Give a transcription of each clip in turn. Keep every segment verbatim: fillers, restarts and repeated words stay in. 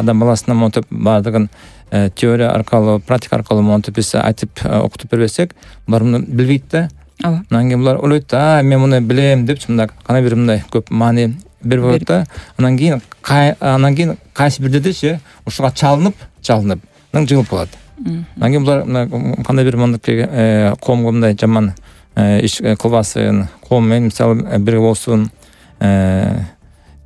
адам баласына монтип баардыгын теория аркылуу, практика аркылуу монтип биз айтып окутуп бербесек, булар муну билбейт да. Ооба. Анан кийин булар ойлойт, а мен муну билем деп, мындай кана бир мындай көп маани берип коет да. Анан кийин анан кийин кайсы бирдедечи ушуга чалынып, чалынып, анан жыгылып калат. Анан кийин булар кандай бир мындайки коомго мындай жаман иш кылбасын, коом менен мисалы бирге болсун.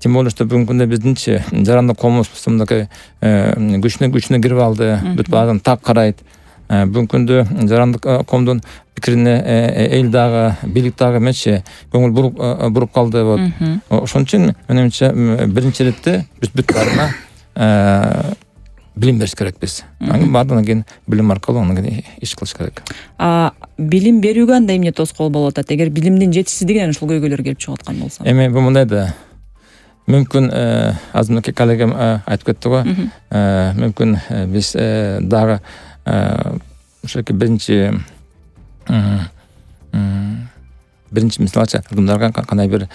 Тем более, что бүгүнкү күндө биздинчи жарандык коомубуз мындай күчүнө күчүнө кирип алды, бүт баарын так карайт. Бүгүнкү күндө жарандык коомдун пикирине эл дагы, бийлик дагы эмесчи көңүл буруп буруп калды вот. Ошон үчүн менимче биринчи иретте биз бүт баарына билим бериш керекпиз. Анан баардыгынан кийин билим аркылуу анан кийин иш кылыш керек. А билим берүүгө андай эмне тоскоол болуп атат? Эгер билимдин жетишсиздигинен ушул көйгөйлөр келип чыгып аткан болсо. Эми бул мындай да. Мүмкүн азыркы коллегам айтып кетти го. Мүмкүн биз дагы ошоки биринчи биринчи мисалча адамдарга кандай бир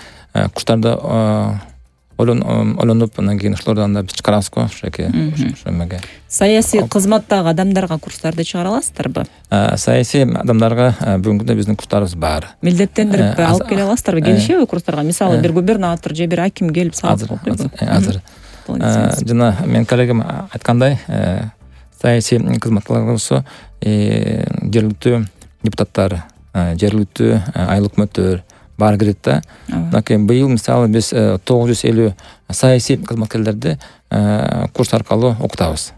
курстарды ойлонуп, анан кийин ошолордон да биз чыгарабыз го ошоки ошо эмеге. Саясий кызматтагы адамдарга курстарды чыгара аласыздарбы? Саясий адамдарга бүгүнкү күндө биздин курстарыбыз бар. Милдеттендирип алып келе аласыздарбы? Келишеби курстарга? Мисалы бир губернатор же бир аким келип сабак окуйбу? Азыр. Жана мен коллегам айткандай, саясий кызматтагылар болсо жергиликтүү депутаттар, жергиликтүү айыл өкмөттөр бар кирет да. Анан быйыл мисалы биз тогуз жүз элүү саясий кызматкерлерди курс аркылуу окутабыз.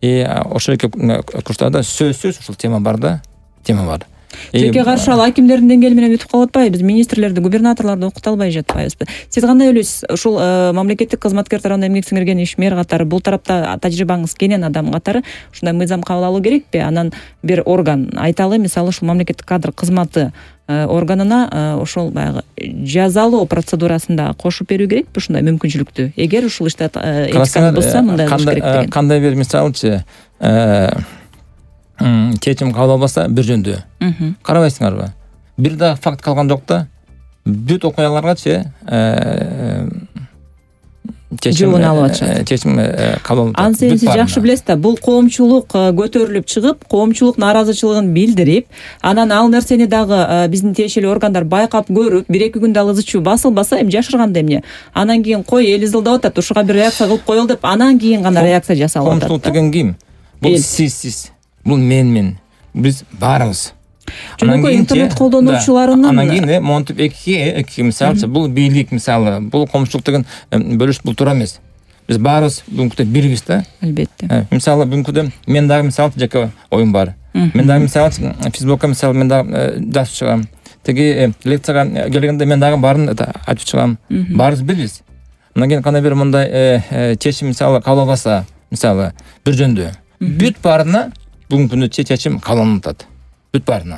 И ошол курстарда сөзсүз ушул тема бар да, тема бар. Тилке каршы ал акимдердин деңгээли менен өтүп калып атпайбы? Биз министрлерди, губернаторлорду окута албай жатпайбызбы? Сиз кандай ойлойсуз? Ушул мамлекеттик кызматкер тарабынан эмгек сиңирген ишмер катары, бул тарапта тажрыйбаңыз кенен адам катары ушундай мыйзам кабыл алуу керекпи? Анан бир орган айталы, мисалы ушул мамлекеттик кадр кызматы органына ошол баягы жазалоо процедурасында кошуп берүү керекпи ушундай мүмкүнчүлүктү? Эгер ушул иште этиканы бузса, мындай кылыш керек деген. Кандай бир мисалчы чечим кабыл албаса бир жөндүү. Карабайсыңарбы? Бир да факт калган жок да. Бүт окуяларгачы чечим алып атышат. Чечим кабыл алып атат. Аны сиз жакшы билесиз да, бул коомчулук көтөрүлүп чыгып, коомчулук нааразычылыгын билдирип, анан ал нерсени дагы биздин тиешелүү органдар байкап көрүп, бир-эки күндө ал ызы чуу басылбаса, эми жашырганда эмне? Анан кийин кой эл изилдап атат, ушуга бир реакция кылып коелу деп, анан кийин гана реакция жасалып атат. Коомчулук деген ким? Бул сиз, сиз. Бул мен мен. Биз баарыбыз. Жөнөкөй интернет колдонуучуларынын анан кийин монтип эки эки мисалчы бул бийлик мисалы, бул коомчулук деген бөлүш бул туура эмес. Биз баарыбыз бүгүнкү бирбиз да. Албетте. Мисалы бүгүнкү мен дагы мисалы жеке оюм бар. Мен дагы мисалы Фейсбукка мисалы мен дагы жазып чыгам. Теги лекцияга келгенде мен дагы баарын айтып чыгам. Баарыбыз бирбиз. Анан кийин кандай бир мындай чечим мисалы кабыл албаса, мисалы бир жөндүү. Бүт баарына бүгүнкү күндө чечим кабыл алынып атат. Бүт баарына.